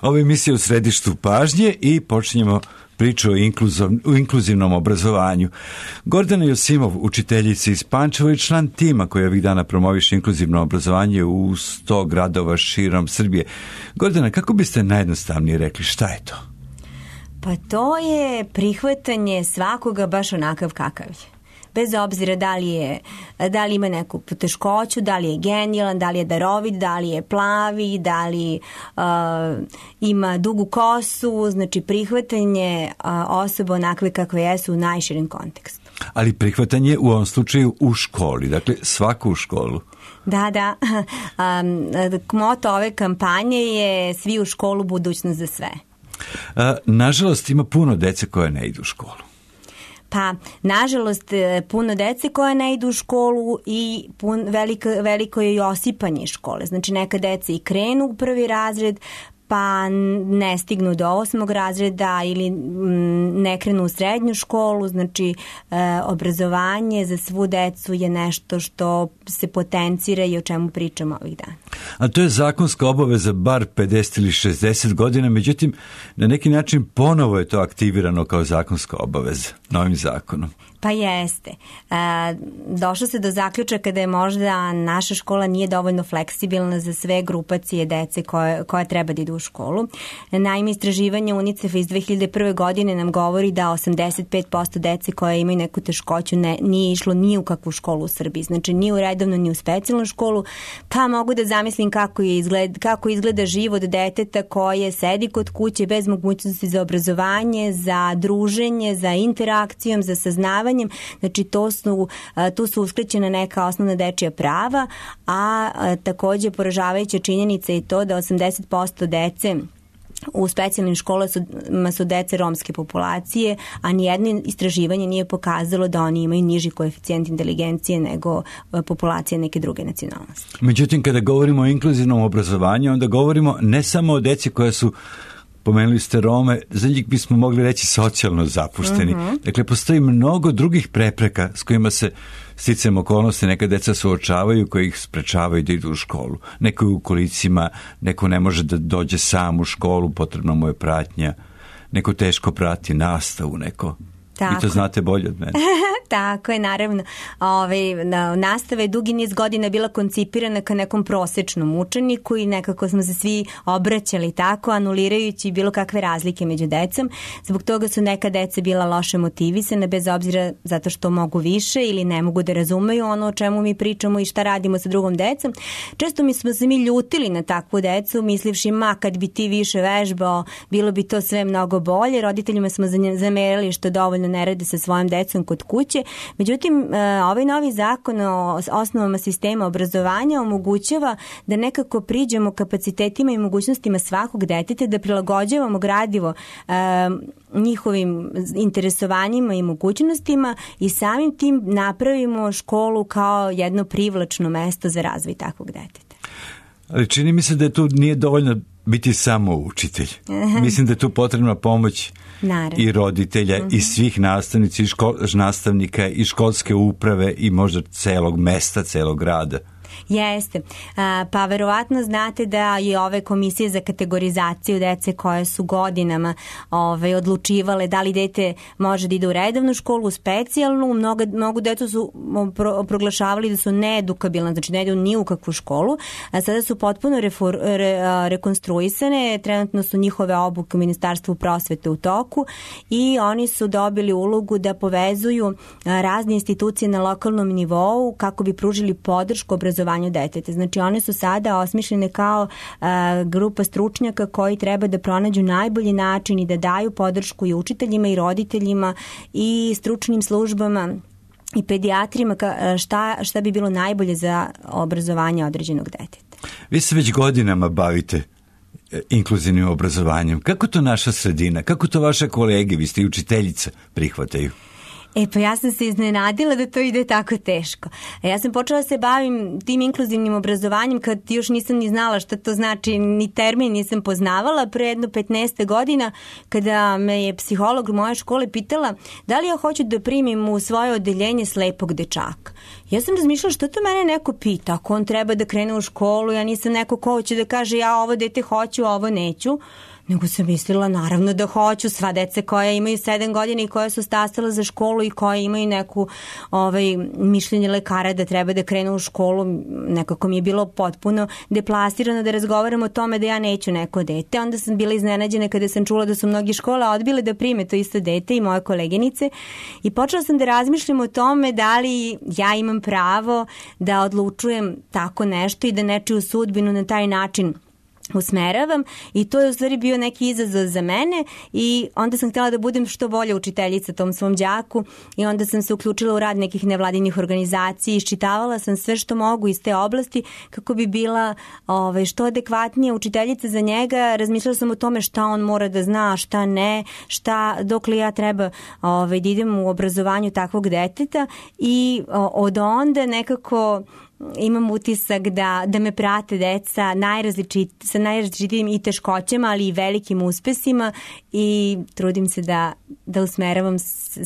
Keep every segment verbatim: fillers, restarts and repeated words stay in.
Ovo je emisija U središtu pažnje i počinjemo priču o, inkluzov, o inkluzivnom obrazovanju. Gordana Josimov, učiteljica iz Pančeva i član tima koji ovih dana promoviše inkluzivno obrazovanje u sto gradova širom Srbije. Gordana, kako biste najjednostavnije rekli šta je to? Pa to je prihvatanje svakoga baš onakav kakav je. Bez obzira da li, je, da li ima neku poteškoću, da li je genijalan, da li je darovit, da li je plavi, da li uh, ima dugu kosu, znači prihvatanje uh, osoba onakve kakve jesu u najširem kontekstu. Ali prihvatanje u ovom slučaju u školi, dakle svaku u školu. Da, da. Um, moto ove kampanje je svi u školu, budućnost za sve. Uh, nažalost ima puno dece koje ne idu u školu. Pa, nažalost, puno dece koja ne idu u školu i pun, veliko, veliko je i osipanje škole. Znači, neka deca i krenu u prvi razred, pa ne stignu do osmog razreda ili ne krenu u srednju školu. Znači, e, obrazovanje za svu decu je nešto što se potencira i o čemu pričamo ovih dana. A to je zakonska obaveza bar pedeset ili šezdeset godina, međutim, na neki način ponovo je to aktivirano kao zakonska obaveza novim zakonom. Pa jeste. E, došlo se do zaključaka da je možda naša škola nije dovoljno fleksibilna za sve grupacije dece koje, koja treba da idu u školu. Naime, istraživanje UNICEF-a iz dve hiljade prve. godine nam govori da osamdeset pet posto dece koje imaju neku teškoću ne, nije išlo ni u kakvu školu u Srbiji. Znači, ni u redovnu, ni u specijalnu školu. Pa mogu da zamislim kako, je izgled, kako izgleda život deteta koje sedi kod kuće bez mogućnosti za obrazovanje, za druženje, za interakcijom, za saznavanje. Znači, to su, tu su uskraćena neka osnovna dečija prava, a takođe poražavajuća činjenica je to da osamdeset posto dece u specijalnim školama su, su dece romske populacije, a nijedno istraživanje nije pokazalo da oni imaju niži koeficijent inteligencije nego populacije neke druge nacionalnosti. Međutim, kada govorimo o inkluzivnom obrazovanju, onda govorimo ne samo o deci koja su, pomenuli ste Rome, za njih bismo mogli reći socijalno zapušteni. Uh-huh. Dakle, postoji mnogo drugih prepreka s kojima se sticajem okolnosti neka deca suočavaju koji ih sprečavaju da idu u školu. Neko je u kolicima, neko ne može da dođe sam u školu, potrebno mu je pratnja, neko teško prati nastavu, neko... Tako. Vi to znate bolje od mene. Tako je, naravno. Ove, nastava je dugi niz godina bila koncipirana ka nekom prosečnom učeniku i nekako smo se svi obraćali tako, anulirajući bilo kakve razlike među decom. Zbog toga su neka deca bila loše motivisane, bez obzira zato što mogu više ili ne mogu da razumeju ono o čemu mi pričamo i šta radimo sa drugom decom. Često mi smo se mi ljutili na takvu decu, mislivši, ma kad bi ti više vežbao, bilo bi to sve mnogo bolje. Roditeljima smo zamerali što dovoljno ne rade sa svojom decom kod kuće. Međutim, ovaj novi zakon o osnovama sistema obrazovanja omogućava da nekako priđemo kapacitetima i mogućnostima svakog deteta, da prilagođavamo gradivo eh, njihovim interesovanjima i mogućnostima i samim tim napravimo školu kao jedno privlačno mesto za razvoj takvog deteta. Ali čini mi se da tu nije dovoljno biti samo učitelj. Mislim da je tu potrebna pomoć Naravno. I roditelja uh-huh. i svih nastavnica i škol, nastavnika i školske uprave i možda celog mesta, celog grada. Jeste. Pa verovatno znate da i ove komisije za kategorizaciju dece koje su godinama ove, odlučivale da li dete može da ide u redovnu školu, u specijalnu. Mnogo, mnogo deca su pro, proglašavali da su needukabilne, znači ne idu ni u kakvu školu. A sada su potpuno refor, re, rekonstruisane. Trenutno su njihove obuke u Ministarstvu prosvete u toku i oni su dobili ulogu da povezuju razne institucije na lokalnom nivou kako bi pružili podršku obrazovanju deteta. Znači, one su sada osmišljene kao a, grupa stručnjaka koji treba da pronađu najbolji način i da daju podršku i učiteljima i roditeljima i stručnim službama i pedijatrima ka, šta, šta bi bilo najbolje za obrazovanje određenog deteta. Vi se već godinama bavite inkluzivnim obrazovanjem. Kako to naša sredina, kako to vaše kolege, vi ste i učiteljica, prihvataju? E pa ja sam se iznenadila da to ide tako teško. A ja sam počela se bavim tim inkluzivnim obrazovanjem kad još nisam ni znala šta to znači, ni termin nisam poznavala, pre jedno petnaest godina kada me je psiholog u moje škole pitala da li ja hoću da primim u svoje odeljenje slepog dečaka. Ja sam razmišljala što to mene neko pita, ako on treba da krene u školu, ja nisam neko ko hoće da kaže ja ovo dete hoću, ovo neću. Nego sam mislila naravno da hoću, sva deca koja imaju sedam godina i koja su stasala za školu i koja imaju neku ovaj, mišljenje lekara da treba da krenu u školu, nekako mi je bilo potpuno deplasirano da razgovaram o tome da ja neću neko dete. Onda sam bila iznenađena kada sam čula da su mnogi škola odbile da prime to isto dete i moje koleginice i počela sam da razmišljam o tome da li ja imam pravo da odlučujem tako nešto i da nečiju sudbinu na taj način usmeravam i to je u stvari bio neki izazov za mene i onda sam htjela da budem što bolja učiteljica tom svom đaku i onda sam se uključila u rad nekih nevladinih organizacija i iščitavala sam sve što mogu iz te oblasti kako bi bila ovaj, što adekvatnija učiteljica za njega. Razmišljala sam o tome šta on mora da zna, šta ne, šta, dokle ja treba ovaj, da idem u obrazovanju takvog deteta i od onda nekako imam utisak da, da me prate deca najrazličit, sa najrazličitijim i teškoćama, ali i velikim uspesima i trudim se da, da usmeravam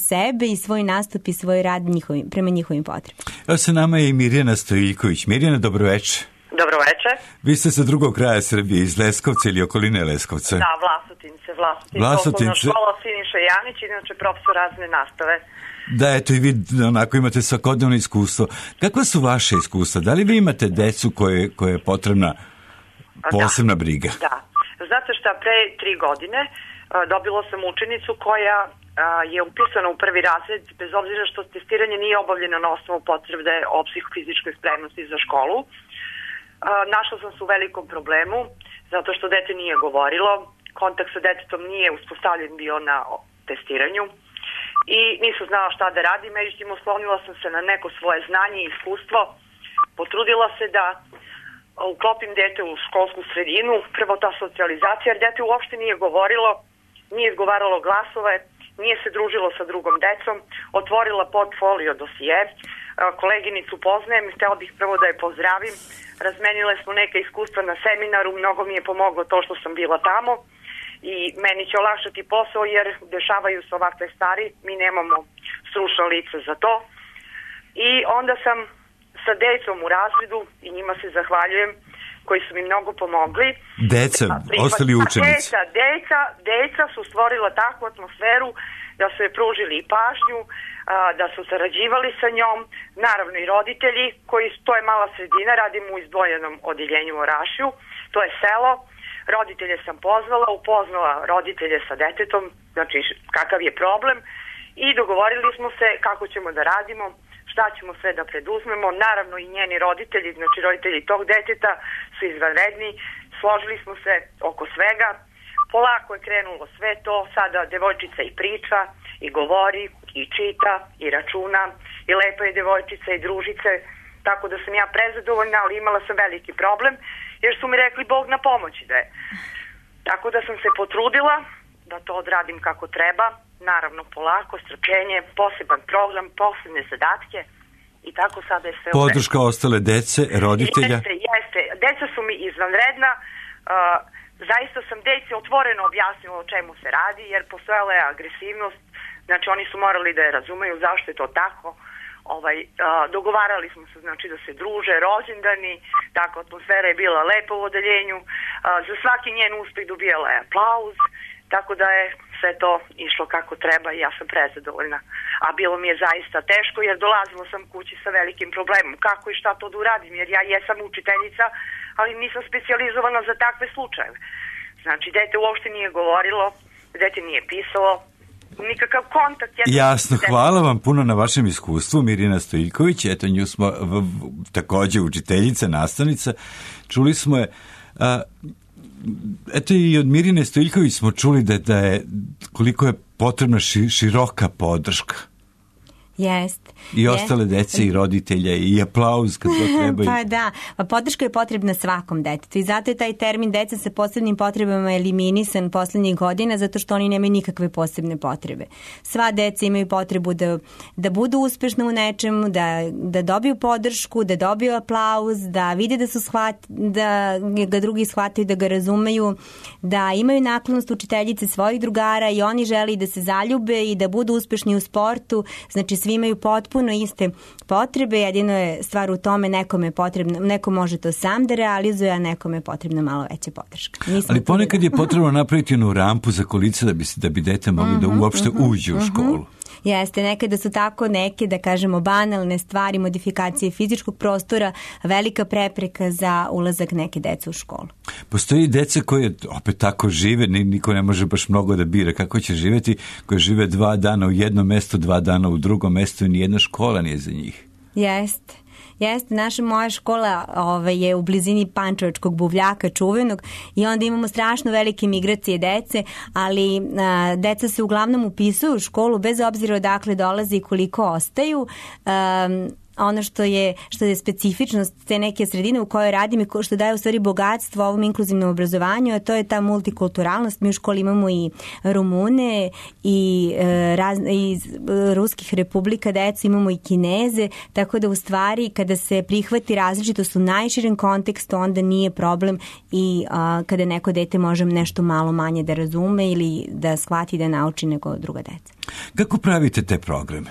sebe i svoj nastup i svoj rad njihovim, prema njihovim potrebama. Evo sa nama je i Mirjana Stojiljković. Mirjana, dobroveče. Dobroveče. Vi ste sa drugog kraja Srbije, iz Leskovca ili okoline Leskovca. Da, Vlasotince, Vlasotince. Vlasotince. Osnovna škola Siniša Janić, inače profesor razne nastave. Da, eto i vi onako imate svakodnevno iskustvo. Kakva su vaše iskustva? Da li vi imate decu koje, koje je potrebna posebna da, briga? Da. Znate šta, pre tri godine dobila sam učenicu koja je upisana u prvi razred, bez obzira što testiranje nije obavljeno na osnovu potvrde o psihofizičkoj spremnosti za školu. Našla sam se u velikom problemu, zato što dete nije govorilo, kontakt sa detetom nije uspostavljen bio na testiranju i nisam znala šta da radim, međutim oslonila sam se na neko svoje znanje i iskustvo, potrudila se da uklopim dete u školsku sredinu, prvo ta socijalizacija, jer dete uopšte nije govorilo, nije izgovaralo glasove, nije se družilo sa drugom decom, otvorila portfolio dosije, koleginicu poznajem, htjela bih prvo da je pozdravim, razmenile smo neke iskustva na seminaru, mnogo mi je pomoglo to što sam bila tamo i meni će olakšati posao jer dešavaju se ovakve stvari, mi nemamo stručno lice za to i onda sam sa decom u razredu i njima se zahvaljujem koji su mi mnogo pomogli. Deca, ostali učenici. Deca, deca, deca su stvorila takvu atmosferu da su je pružili i pažnju, da su sarađivali sa njom, naravno i roditelji, koji, to je mala sredina, radim u izdvojenom odjeljenju u Orašju, to je selo, roditelje sam pozvala, upoznala roditelje sa detetom, znači kakav je problem i dogovorili smo se kako ćemo da radimo, šta ćemo sve da preduzmemo, naravno i njeni roditelji, znači roditelji tog deteta su izvanredni, složili smo se oko svega, polako je krenulo sve to, sada devojčica i priča, i govori, i čita, i računa, i lepa je devojčica i družice, tako da sam ja prezadovoljna, ali imala sam veliki problem, jer su mi rekli Bog na pomoći da je. Tako da sam se potrudila da to odradim kako treba, naravno polako, strpljenje, poseban program, posebne zadatke i tako sada je sve. Podrška ostale dece, roditelja? Jeste, jeste. Deca su mi izvanredna, uh, zaista sam deci otvoreno objasnila o čemu se radi, jer postojala je agresivnost, znači oni su morali da je razumeju zašto je to tako. Ovaj, uh, dogovarali smo se znači da se druže, rođendani, tako atmosfera je bila lepa u odeljenju, uh, za svaki njen uspeh dobijala je aplauz, tako da je sve to išlo kako treba i ja sam prezadovoljna. A bilo mi je zaista teško jer dolazila sam kući sa velikim problemom. Kako i šta to da uradim? Jer ja jesam učiteljica, ali nisam specijalizovana za takve slučajeve. Znači, dete uopšte nije govorilo, dete nije pisalo, nikakav kontakt. Jasno, hvala vam puno na vašem iskustvu, Mirjana Stojiljković. Eto, nju smo v, v, takođe učiteljica, nastavnica. Čuli smo je... A, eto i od Mirjane Stojiljković smo čuli da, da je koliko je potrebna ši, široka podrška. Jest. I ostale dece i roditelja i aplauz kad to trebaju. Pa da, pa podrška je potrebna svakom detetu i zato je taj termin deca sa posebnim potrebama eliminisan poslednjih godina zato što oni nemaju nikakve posebne potrebe. Sva deca imaju potrebu da, da budu uspešna u nečemu, da, da dobiju podršku, da dobiju aplauz, da vide da su shvat, da ga drugi shvataju, da ga razumeju, da imaju naklonost učiteljice svojih drugara i oni žele da se zaljube i da budu uspešni u sportu. Znači svi imaju potpuno iste potrebe, jedino je stvar u tome nekome je potrebno, neko može to sam da realizuje, a nekome je potrebna malo veća podrška. Nisam Ali ponekad je potrebno napraviti jednu rampu za kolica da bi, da bi dete mogli mm-hmm, da uopšte mm-hmm, uđe u školu. Mm-hmm. Jeste, nekada su tako neke, da kažemo, banalne stvari, modifikacije fizičkog prostora, velika prepreka za ulazak neke dece u školu. Postoji deca koje opet tako žive, niko ne može baš mnogo da bira kako će živeti, koje žive dva dana u jednom mestu, dva dana u drugom mestu i nijedna škola nije za njih. Jeste. Jeste, naša moja škola ovaj, je u blizini Pančevačkog buvljaka čuvenog i onda imamo strašno velike migracije dece, ali a, deca se uglavnom upisuju u školu bez obzira odakle dolaze i koliko ostaju. A, ono što je, što je specifičnost te neke sredine u kojoj radim i što daje u stvari bogatstvo ovom inkluzivnom obrazovanju, a to je ta multikulturalnost. Mi u školi imamo i Rumune i e, raz, iz ruskih republika decu, imamo i Kineze, tako da u stvari kada se prihvati različitost u najširem kontekstu, onda nije problem i a, kada neko dete može nešto malo manje da razume ili da shvati da nauči nego druga deca. Kako pravite te programe?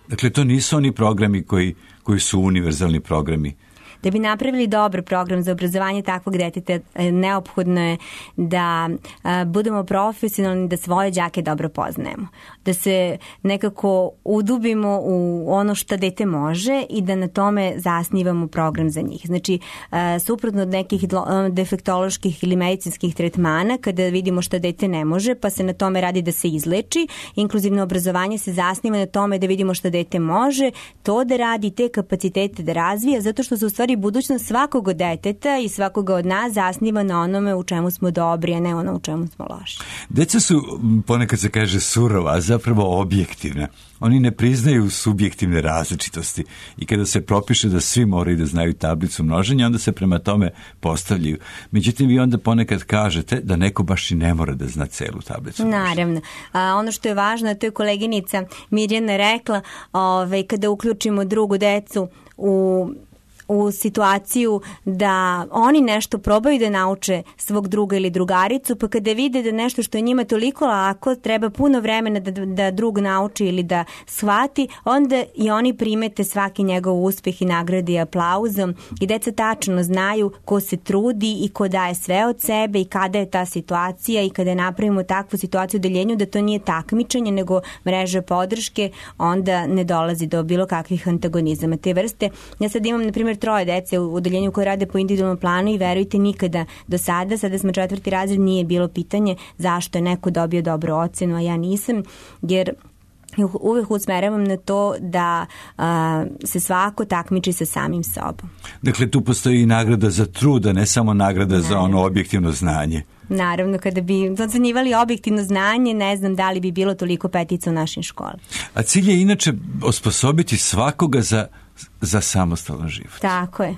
Dakle, to nisu oni programi koji, koji su univerzalni programi. Da bi napravili dobar program za obrazovanje takvog deteta, neophodno je da a, budemo profesionalni, da svoje đake dobro poznajemo. Da se nekako udubimo u ono što dete može i da na tome zasnivamo program za njih. Znači, a, suprotno od nekih defektoloških ili medicinskih tretmana, kada vidimo što dete ne može, pa se na tome radi da se izleči, inkluzivno obrazovanje se zasniva na tome da vidimo što dete može, to da radi, te kapacitete da razvija, zato što se u stvari budućnost svakog deteta i svakoga od nas zasniva na onome u čemu smo dobri, a ne ono u čemu smo loši. Deca su, ponekad se kaže, surova, a zapravo objektivna. Oni ne priznaju subjektivne različitosti i kada se propiše da svi moraju da znaju tablicu množenja, onda se prema tome postavljaju. Međutim, vi onda ponekad kažete da neko baš i ne mora da zna celu tablicu množenja. Naravno. A, ono što je važno, to je koleginica Mirjana rekla, ovaj, kada uključimo drugu decu u u situaciju da oni nešto probaju da nauče svog druga ili drugaricu, pa kada vide da nešto što je njima toliko lako, treba puno vremena da, da drug nauči ili da shvati, onda i oni primete svaki njegov uspeh i nagradi aplauzom i deca tačno znaju ko se trudi i ko daje sve od sebe i kada je ta situacija i kada napravimo takvu situaciju u deljenju da to nije takmičenje nego mreža podrške, onda ne dolazi do bilo kakvih antagonizama te vrste. Ja sad imam, na primjer, troje dece u odeljenju koje rade po individualnom planu i verujte, nikada do sada, sada smo četvrti razred, nije bilo pitanje zašto je neko dobio dobru ocenu, a ja nisam, jer uvek usmeravam na to da a, se svako takmiči sa samim sobom. Dakle, tu postoji i nagrada za trud, a ne samo nagrada Naravno. za ono objektivno znanje. Naravno, kada bi ocenjivali objektivno znanje, ne znam da li bi bilo toliko petica u našim školama. A cilj je inače osposobiti svakoga za za samostalan život. Tako je.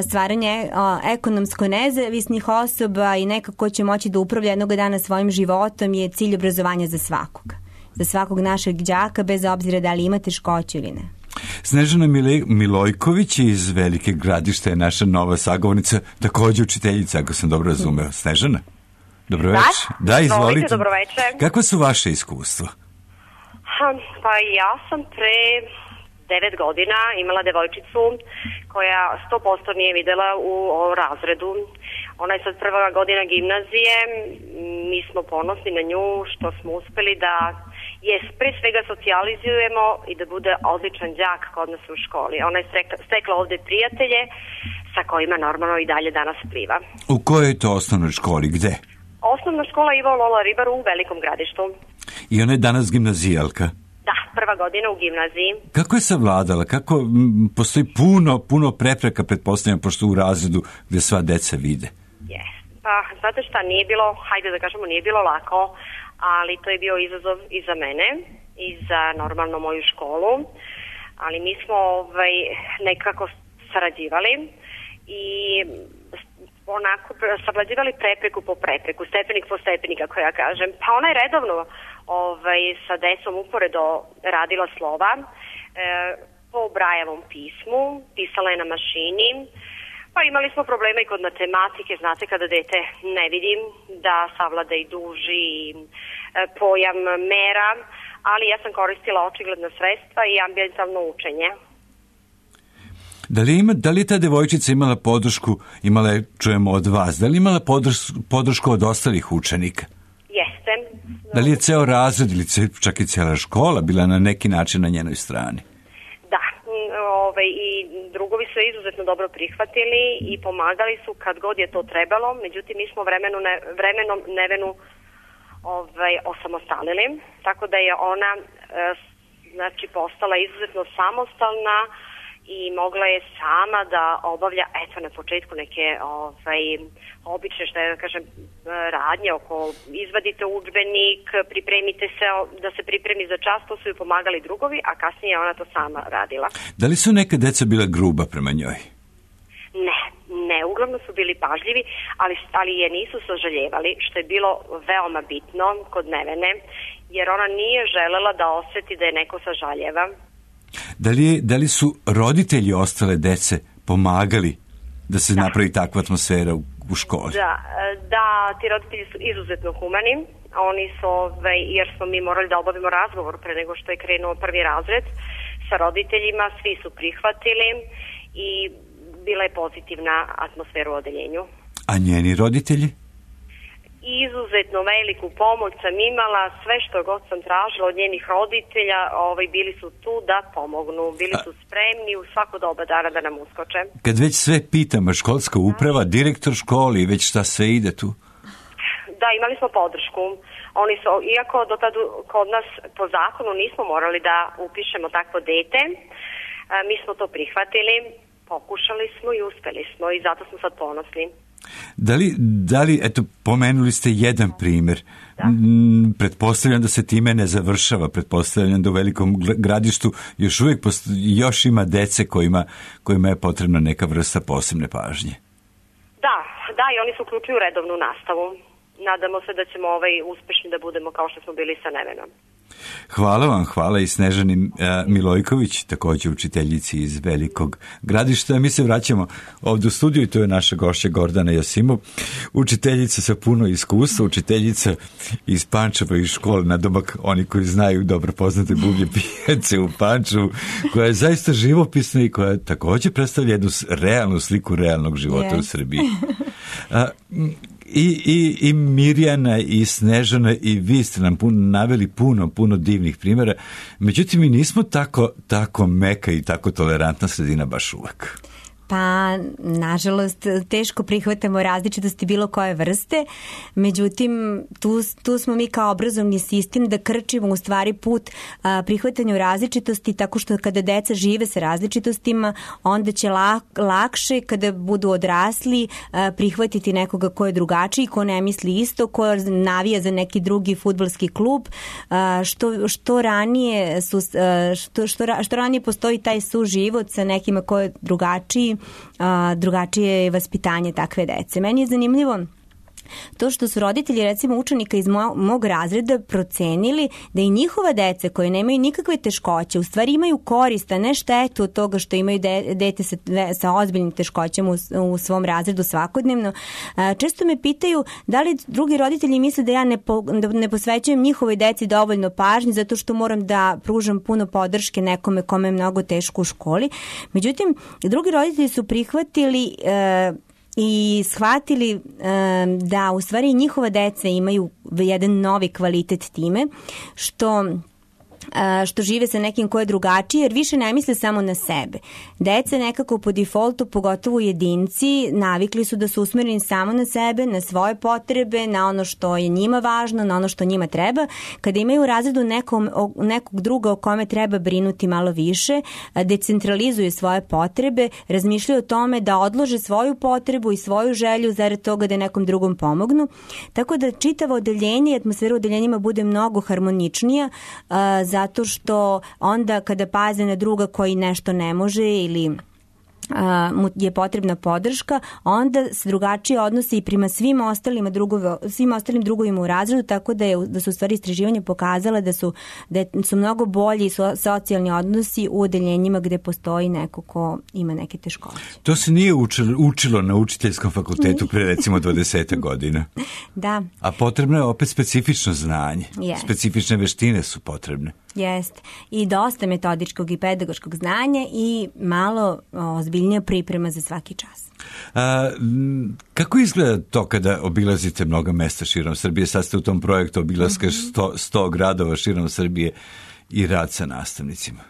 Stvaranje ekonomsko nezavisnih osoba i nekako će moći da upravlja jednog dana svojim životom je cilj obrazovanja za svakoga. Za svakog našeg đaka, bez obzira da li ima teškoće ili ne. Snežana Milojković iz Velike Gradište je naša nova sagovornica, također učiteljica, ako sam dobro razumeo. Snežana? Dobro večer. Da, da, izvolite. Dobro večer. Kako su vaše iskustva? Pa ja sam pre devet godina imala devojčicu koja sto posto nije videla u razredu. Ona je sad prva godina gimnazije. Mi smo ponosni na nju što smo uspeli da je pre svega socijalizujemo i da bude odličan đak kod nas u školi. Ona je stekla ovde prijatelje sa kojima normalno i dalje danas pliva. U kojoj je to osnovnoj školi? Gde? Osnovna škola Ivo Lola Ribar u Velikom Gradištu. I ona je danas gimnazijalka? Da, prva godina u gimnaziji. Kako je savladala? Kako m, postoji puno, puno prepreka, pretpostavljam, pošto u razredu gde sva deca vide? Yes. Pa, znate šta, nije bilo, hajde da kažemo, nije bilo lako, ali to je bio izazov i za mene i za normalno moju školu. ali mi smo ovaj, nekako sarađivali i onako savlađivali prepreku po prepreku, stepenik po stepenik, kako ja kažem. Pa ona je redovno ovaj, sa decom uporedo radila slova e, po Brajevom pismu, pisala je na mašini, pa imali smo problema i kod matematike, znate kada dete ne vidim da savlada i duži e, pojam mera, ali ja sam koristila očigledna sredstva i ambijentalno učenje. Da li, ima, da li je ta devojčica imala podršku, imala je, čujemo od vas, da li imala podršku, podršku od ostalih učenika? Jeste. Da li je ceo razred ili čak i cijela škola bila na neki način na njenoj strani? Da, ovaj, i drugovi su izuzetno dobro prihvatili i pomagali su kad god je to trebalo, međutim mi smo vremenu ne, vremenom Nevenu ovaj, osamostalili, tako da je ona e, znači postala izuzetno samostalna i mogla je sama da obavlja, eto na početku neke ovaj, obične, što je da kažem, radnje oko izvadite udžbenik, pripremite se, da se pripremi za čas, to su ju pomagali drugovi, a kasnije ona to sama radila. Da li su neka deca bila gruba prema njoj? Ne, ne, uglavnom su bili pažljivi, ali, ali je nisu sažaljevali, što je bilo veoma bitno kod Nevene, jer ona nije želela da oseti da je neko sažaljeva. Da li, da li su roditelji ostale dece pomagali da se da. napravi takva atmosfera u, u školi? Da, da, ti roditelji su izuzetno humani. Oni su, jer smo mi morali da obavimo razgovor pre nego što je krenuo prvi razred sa roditeljima, svi su prihvatili i bila je pozitivna atmosfera u odeljenju. A njeni roditelji? Izuzetno veliku pomoć sam imala, sve što god sam tražila od njenih roditelja, ovaj, bili su tu da pomognu, bili su spremni u svako doba dana da nam uskoče. Kad već sve pitamo, školska uprava, direktor škole i već šta sve ide tu? Da, imali smo podršku. Oni su, iako do tada kod nas po zakonu nismo morali da upišemo takvo dete, mi smo to prihvatili, pokušali smo i uspeli smo i zato smo sad ponosni. Da li, da li, eto, pomenuli ste jedan primjer. Da. Pretpostavljam da se time ne završava, pretpostavljam da u Velikom Gradištu još uvijek posto, još ima dece kojima, kojima je potrebna neka vrsta posebne pažnje. Da, da, i oni se uključuju u redovnu nastavu. Nadamo se da ćemo ovaj uspešni da budemo kao što smo bili sa Nevenom. Hvala vam, hvala i Snežani uh, Milojković, također učiteljici iz Velikog Gradišta. Mi se vraćamo ovdje u studiju i to je naša gošća Gordana Josimov, učiteljica sa puno iskustva, učiteljica iz Pančeva iz škole na domak, oni koji znaju dobro poznate Bublje pijace u Pančevu, koja je zaista živopisna i koja također predstavlja jednu realnu sliku realnog života yes. u Srbiji. Uh, I, i, i Mirjana i Snežana i vi ste nam pun, naveli puno, puno divnih primjera. Međutim, mi nismo tako, tako meka i tako tolerantna sredina baš uvek. Pa, nažalost, teško prihvatamo različitosti bilo koje vrste, međutim, tu, tu smo mi kao obrazovni sistem da krčimo u stvari put a, prihvatanju različitosti, tako što kada deca žive sa različitostima, onda će lak, lakše kada budu odrasli a, prihvatiti nekoga ko je drugačiji, ko ne misli isto, ko navija za neki drugi fudbalski klub, a, što, što, ranije su, a, što, što, što ranije postoji taj suživot sa nekima ko je drugačiji, A, drugačije je vaspitanje takve dece. Meni je zanimljivo to što su roditelji recimo učenika iz mo- mog razreda procenili da i njihova deca koje nemaju nikakve teškoće u stvari imaju korist, a ne štetu od toga što imaju de- dete sa, sa ozbiljnim teškoćama u, u svom razredu svakodnevno. A, često me pitaju da li drugi roditelji misle da ja ne, po, da ne posvećujem njihovoj deci dovoljno pažnje zato što moram da pružam puno podrške nekome kome je mnogo teško u školi. Međutim, drugi roditelji su prihvatili e, i shvatili um, da u stvari njihova deca imaju jedan novi kvalitet time što što žive sa nekim ko je drugačiji, jer više ne misle samo na sebe. Deca nekako po defaultu, pogotovo jedinci, navikli su da su usmereni samo na sebe, na svoje potrebe, na ono što je njima važno, na ono što njima treba. Kada imaju u razredu nekom, nekog druga o kome treba brinuti malo više, decentralizuju svoje potrebe, razmišljaju o tome da odlože svoju potrebu i svoju želju zarad toga da nekom drugom pomognu. Tako da čitavo odeljenje i atmosfera u odeljenjima bude mnogo harmoničnija, za zato što onda kada paze na druga koji nešto ne može ili mu je potrebna podrška, onda se drugačije odnosi i prema svim ostalim, drugove, svim ostalim drugovima u razredu, tako da, je, da su u stvari istraživanja pokazala da su, da su mnogo bolji so, socijalni odnosi u odeljenjima gde postoji neko ko ima neke teškoće. To se nije učilo, učilo na učiteljskom fakultetu pre recimo dvadeset godina. Da. A potrebno je opet specifično znanje. Yes. Specifične veštine su potrebne. Jeste. I dosta metodičkog i pedagoškog znanja i malo ozbiljnija priprema za svaki čas. A, kako izgleda to kada obilazite mnoga mesta širom Srbije? Sad ste u tom projektu obilaska sto, sto gradova širom Srbije i rad sa nastavnicima.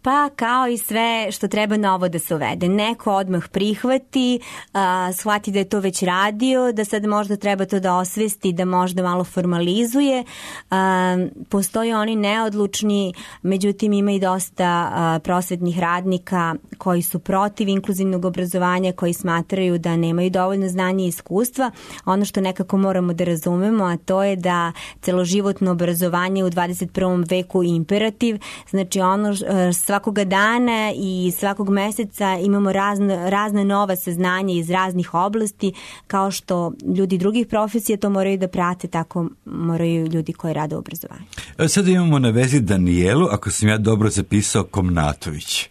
Pa kao i sve što treba novo da se uvede. Neko odmah prihvati, a, shvati da je to već radio, da sad možda treba to da osvesti, da možda malo formalizuje. A, postoje oni neodlučni, međutim ima i dosta a, prosvetnih radnika koji su protiv inkluzivnog obrazovanja, koji smatraju da nemaju dovoljno znanja i iskustva. Ono što nekako moramo da razumemo, a to je da celoživotno obrazovanje u dvadeset prvom veku imperativ, znači ono sva svakoga dana i svakog meseca imamo razne, razne nova saznanja iz raznih oblasti, kao što ljudi drugih profesija to moraju da prate, tako moraju ljudi koji rade u obrazovanju. Sada imamo na vezi Danijelu, ako sam ja dobro zapisao, Komnatović.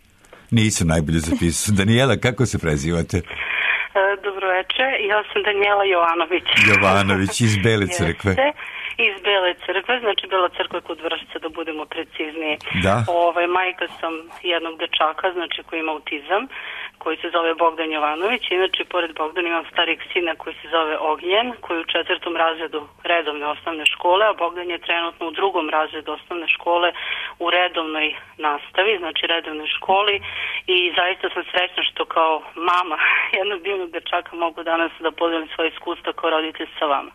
Nisam najbolje zapisao. Danijela, kako se prezivate? Dobro večer, ja sam Danijela Jovanović. Jovanović iz Bele crkve. Jeste, iz Bele crkve, znači Bela crkva kod Vršca, da budemo precizniji. Da. Ovaj, majka sam jednog dečaka, znači koji ima autizam, koji se zove Bogdan Jovanović. Inače, pored Bogdana imam starijeg sina koji se zove Ognjen, koji je u četvrtom razredu redovne osnovne škole, a Bogdan je trenutno u drugom razredu osnovne škole u redovnoj nastavi, znači redovnoj školi, i zaista sam srećna što kao mama jednog divnog dečaka mogu danas da podelim svoje iskustva kao roditelj sa vama.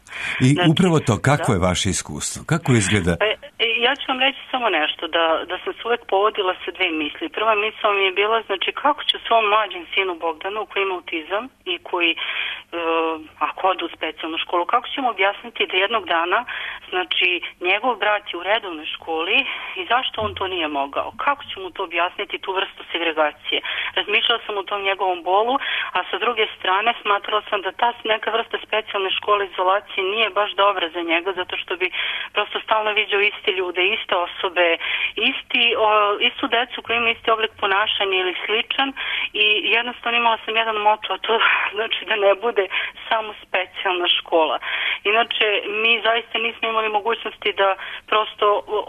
I znači, upravo to, kako da? je vaše iskustvo? Kako izgleda? E, ja ću vam reći samo nešto, da, da sam se uvek povodila sa dve misli. Prva misla mi je bila, znači, kako ću svom mlađem sinu Bogdanu, koji ima autizam i koji, uh, ako ode u specijalnu školu, kako ćemo objasniti da jednog dana, znači, njegov brat je u redovnoj školi i zašto on to nije mogao? Kako ću mu to objasniti, tu vrstu segregacije? Razmišljala sam o tom njegovom bolu, a sa druge strane smatrala sam da ta neka vrsta specijalne škole izolacije nije baš dobra za njega, zato što bi prosto stalno viđao iste ljude, iste osobe, isti, o, istu decu koji ima isti oblik ponašanja ili sličan, i jednostavno imala sam jedan moto, a to znači da ne bude samo specijalna škola. Inače, mi zaista nismo imali mogućnosti da prosto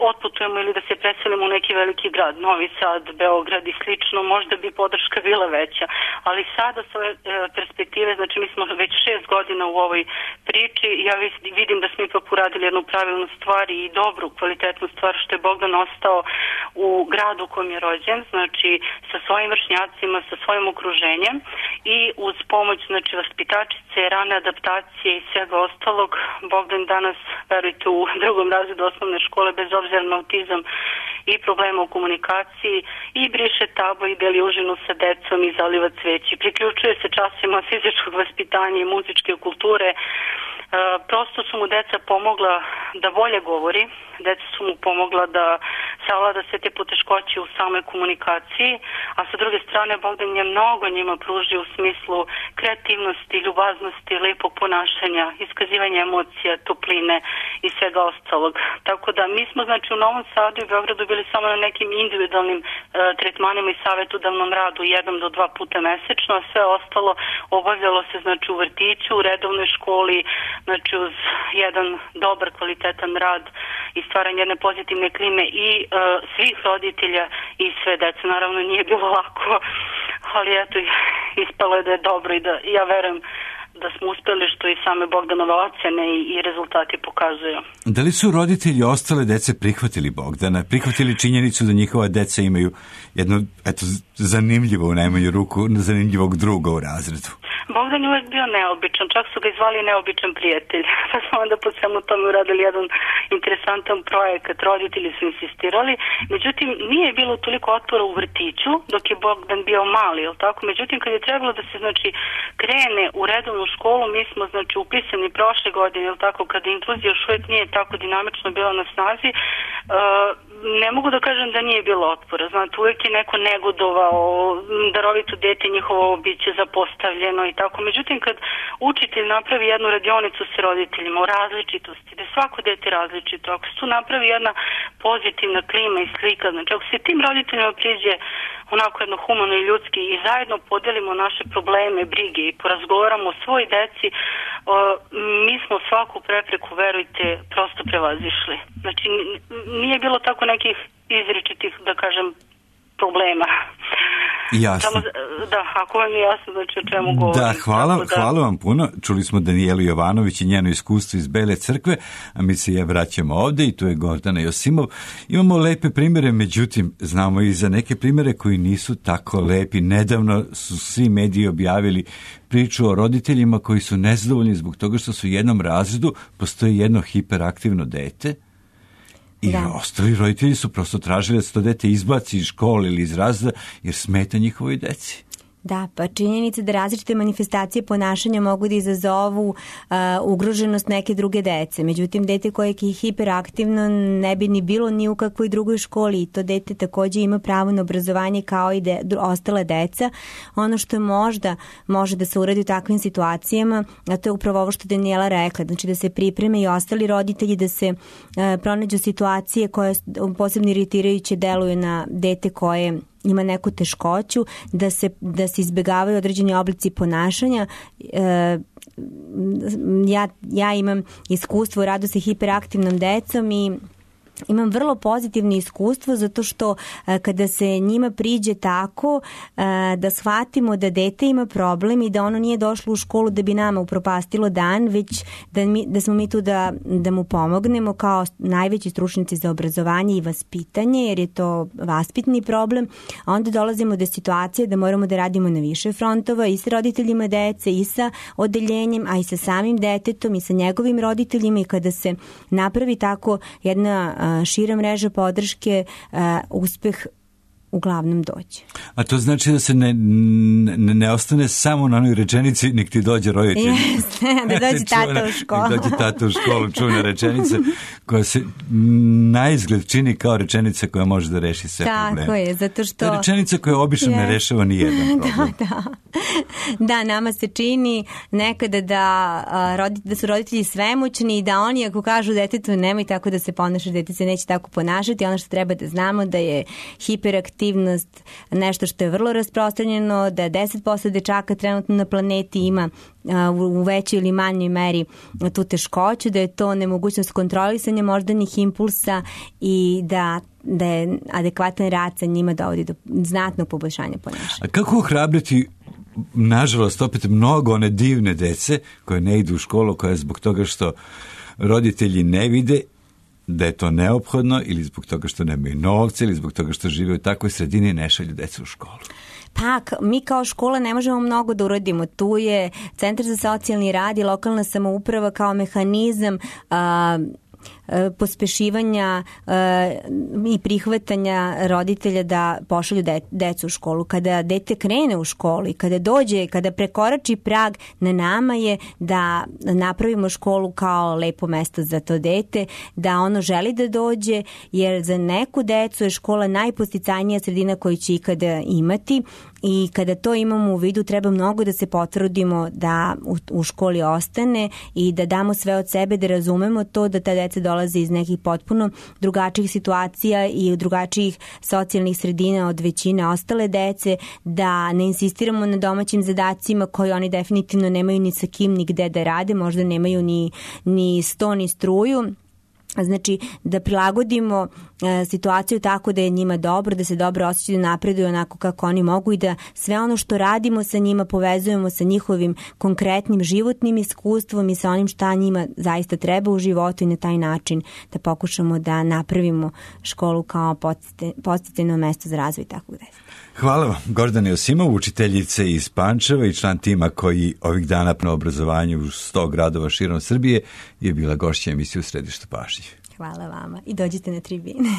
otputujemo ili da se preselimo u neki veliki grad, Novi Sad, Beograd i slično, možda bi podrška bila veća, ali sada s ove e, perspektive, znači mi smo već šest godina u ovoj priči, ja vidim da smo ipak uradili jednu pravilnu stvar i dobru, kvalitetnu stvar, što je Bogdan ostao u gradu u kojem je rođen, znači sa svojim vršnjacima, sa svojim okruženjem, i uz pomoć, znači, vaspitačice, rane adaptacije i svega ostalog, Bogdan danas, verujte, u drugom razredu osnovne škole, bez obzira na autizam i problema u komunikaciji, i briše tabo i beli užinu sa decom i zaliva cveći. Priključuje se časima fizičkog vaspitanja i muzičke kulture. E, prosto su mu deca pomogla da bolje govori, deca su mu pomogla da savlada sve te poteškoće u samoj komunikaciji, a sa druge strane Bogdan je mnogo njima pružio u smislu kreativnosti, ljubaznosti, lepog ponašanja, iskazivanja emocija, topline i svega ostalog. Tako da mi smo, znači, u Novom Sadu i Beogradu bili samo na nekim individualnim e, tretmanima i savjetodavnom radu jednom do dva puta mesečno, a sve ostalo obavljalo se, znači, u vrtiću, u redovnoj školi, znači uz jedan dobar, kvalitetan rad i stvaranje jedne pozitivne klime i e, svih roditelja i sve dece. Naravno nije bilo lako, ali eto, ispalo je da je dobro i da ja verujem da smo uspeli, što i same Bogdanove ocene i, i rezultati pokazuju. Da li su roditelji ostale dece prihvatili Bogdana, prihvatili činjenicu da njihova deca imaju jednu, eto, zanimljivo u najmanju ruku, zanimljivog druga u razredu? Bogdan je uvek bio neobičan, čak su ga izvali neobičan prijatelj. Pa smo onda po svemu tome uradili jedan interesantan projekat, roditelji su insistirali, međutim nije bilo toliko otpora u vrtiću dok je Bogdan bio mali, jel tako? Međutim, kad je trebalo da se, znači, krene u redovnu školu, mi smo, znači, upisani prošle godine, jel tako, kada inkluzija još uvijek nije tako dinamično bila na snazi, uh, ne mogu da kažem da nije bilo otpora. Znate, uvijek je neko negodovao, darovito dete njihovo biće zapostavljeno i tako. Međutim, kad učitelj napravi jednu radionicu sa roditeljima o različitosti, da je svako dete različito, ako se tu napravi jedna pozitivna klima i slika, znači ako se tim roditeljima priđe onako jedno humano i ljudski i zajedno podelimo naše probleme, brige i porazgovaramo o svoj deci, o, mi smo svaku prepreku, verujte, prosto prevazišli. Znači, nije bilo tako nekih izričitih, da kažem, problema. Jasno. Samo, da, ako vam je jasno, znači o čemu govorim. Da, hvala, da... hvala vam puno. Čuli smo Danijelu Jovanović i njeno iskustvo iz Bele crkve, a mi se je vraćamo ovde i tu je Gordana Josimov. Imamo lepe primere, međutim, znamo i za neke primere koji nisu tako lepi. Nedavno su svi mediji objavili priču o roditeljima koji su nezadovoljni zbog toga što su u jednom razredu postoji jedno hiperaktivno dete. I da. Ostali roditelji su prosto tražili da se to dete izbaci iz škole ili iz razreda jer smeta njihovoj deci. Da, pa činjenica da različite manifestacije ponašanja mogu da izazovu uh, ugroženost neke druge dece. Međutim, dete koje je hiperaktivno ne bi ni bilo ni u kakvoj drugoj školi i to dete takođe ima pravo na obrazovanje kao i de, ostale deca. Ono što možda može da se uradi u takvim situacijama, a to je upravo ovo što Danijela rekla, znači da se pripreme i ostali roditelji, da se uh, pronađu situacije koje posebno iritirajuće deluju na dete koje ima neku teškoću, da se, da se izbjegavaju određeni oblici ponašanja. E, ja, ja imam iskustvo u radu sa hiperaktivnom decom i imam vrlo pozitivno iskustvo zato što a, kada se njima priđe tako a, da shvatimo da dete ima problem i da ono nije došlo u školu da bi nama upropastilo dan, već da, mi, da smo mi tu da, da mu pomognemo kao najveći stručnjaci za obrazovanje i vaspitanje, jer je to vaspitni problem, a onda dolazimo do situacije da moramo da radimo na više frontova i sa roditeljima dece i sa odeljenjem, a i sa samim detetom i sa njegovim roditeljima i kada se napravi tako jedna šira mreža podrške, uh, uspeh uglavnom dođe. A to znači da se ne, ne, ne ostane samo na onoj rečenici nek ti dođe roditelj. Jeste, da dođe tata u školu. Da dođe tata u školu, čuvena rečenica koja se na izgled čini kao rečenica koja može da reši sve Tako probleme. Tako je, zato što... To je rečenica koja obično yes. ne rešava ni jedan problem. Da, da. Da, nama se čini nekada da, da su roditelji svemoćni i da oni ako kažu detetu nemoj tako da se ponaša, dete se neće tako ponašati. Ono što treba da znamo da je hiperaktivnost nešto što je vrlo rasprostranjeno, da deset posto dečaka trenutno na planeti ima u većoj ili manjoj meri tu teškoću, da je to nemogućnost kontrolisanja moždanih impulsa i da da je adekvatan rad sa njima dovodi do znatnog poboljšanja ponašanja. A kako ohrabriti, nažalost, opet mnogo one divne dece koje ne idu u školu, koje zbog toga što roditelji ne vide da je to neophodno ili zbog toga što nemaju novce ili zbog toga što žive u takvoj sredini ne šalju decu u školu? Pa, mi kao škola ne možemo mnogo da uradimo. Tu je Centar za socijalni rad i lokalna samouprava kao mehanizam a, pospešivanja uh, i prihvatanja roditelja da pošalju de, decu u školu. Kada dete krene u školu i kada dođe, kada prekorači prag, na nama je da napravimo školu kao lepo mesto za to dete, da ono želi da dođe, jer za neku decu je škola najposticajnija sredina koju će ikada imati i kada to imamo u vidu treba mnogo da se potrudimo da u, u školi ostane i da damo sve od sebe, da razumemo to da ta deca dolaze iz nekih potpuno drugačijih situacija i drugačijih socijalnih sredina od većine ostale dece, da ne insistiramo na domaćim zadacima koji oni definitivno nemaju ni sa kim ni gde da rade, možda nemaju ni, ni sto ni struju. Znači, da prilagodimo e, situaciju tako da je njima dobro, da se dobro osjećaju, da napreduju onako kako oni mogu i da sve ono što radimo sa njima povezujemo sa njihovim konkretnim životnim iskustvom i sa onim šta njima zaista treba u životu i na taj način da pokušamo da napravimo školu kao podsticajno mesto za razvoj takvog dece. Hvala vam, Gordana Josimov, učiteljice iz Pančeva i član tima koji ovih dana na obrazovanju u sto gradova širom Srbije je bila gošća emisije U središtu pažnje. Hvala vama i dođite na tribine.